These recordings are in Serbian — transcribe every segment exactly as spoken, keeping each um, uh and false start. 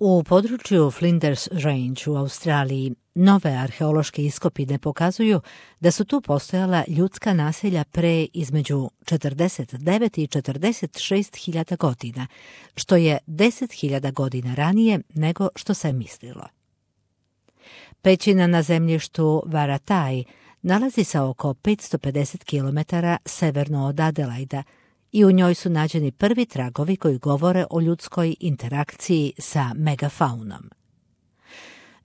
U području Flinders Range u Australiji nove arheološke iskopine pokazuju da su tu postojala ljudska naselja pre između četrdeset devet i četrdeset šest hiljada godina, što je deset hiljada godina ranije nego što se mislilo. Pećina na zemljištu Varatai nalazi se oko petsto pedeset kilometara severno od Adelaida i u njoj su nađeni prvi tragovi koji govore o ljudskoj interakciji sa megafaunom.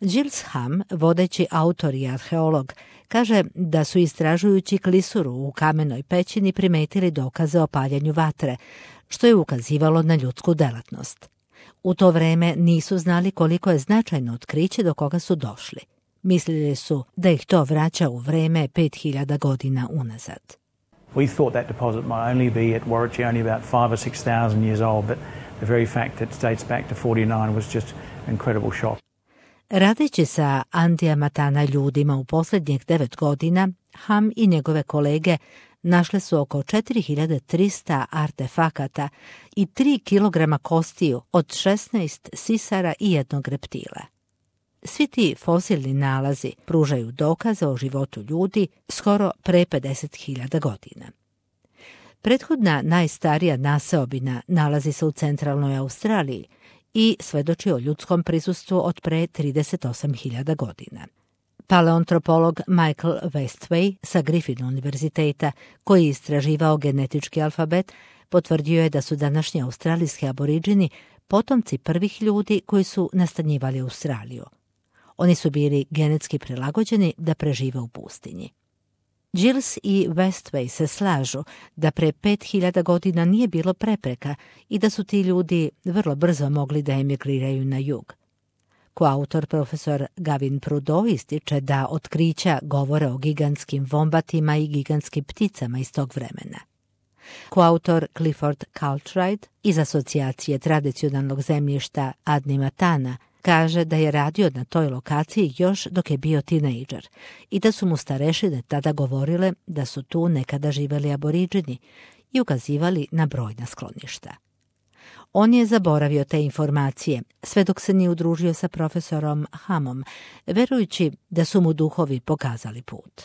Giles Ham, vodeći autor i arheolog, kaže da su istražujući klisuru u kamenoj pećini primetili dokaze o paljenju vatre, što je ukazivalo na ljudsku delatnost. U to vreme nisu znali koliko je značajno otkriće do koga su došli. Mislili su da ih to vraća u vreme pet hiljada godina unazad. We thought that deposit might only be at Warwickshire only about five or six thousand years old, but the very fact that it dates back to forty-nine was just an incredible shock. Radeći sa Andiamatana ljudima u posljednjih devet godina, Ham i njegove kolege našle su oko četiri hiljade trista artefakata i tri kilograma kostiju od šesnaest sisara i jednog reptila. Svi ti fosilni nalazi pružaju dokaze o životu ljudi skoro pre pedeset hiljada godina. Prethodna najstarija naseobina nalazi se u centralnoj Australiji i svedoči o ljudskom prisustvu od pre trideset osam hiljada godina. Paleontropolog Michael Westway sa Griffith univerziteta, koji je istraživao genetički alfabet, potvrdio je da su današnji australijski aboriđini potomci prvih ljudi koji su nastanjivali Australiju. Oni su bili genetski prilagođeni da prežive u pustinji. Giles i Westway se slažu da pre pet hiljada godina nije bilo prepreka i da su ti ljudi vrlo brzo mogli da emigriraju na jug. Koautor profesor Gavin Prudhoe ističe da otkrića govore o gigantskim vombatima i gigantskim pticama iz tog vremena. Koautor Clifford Cartwright iz Asocijacije tradicionalnog zemljišta Adnyamatana kaže da je radio na toj lokaciji još dok je bio tinejdžer i da su mu starešine tada govorile da su tu nekada živeli aboriđini i ukazivali na brojna skloništa. On je zaboravio te informacije, sve dok se nije udružio sa profesorom Hamom, verujući da su mu duhovi pokazali put.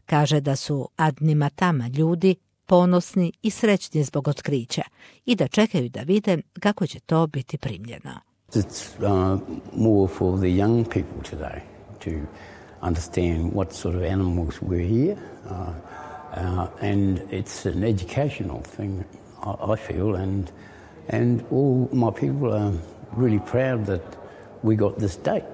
Kaže da su Adnyamatama ljudi ponosni i srećni zbog otkrića i da čekaju da vide kako će to biti primljeno. It's uh, more for the young people today to understand what sort of animals were here, uh, uh, and it's an educational thing, I, I feel, and and all my people are really proud that we got this date.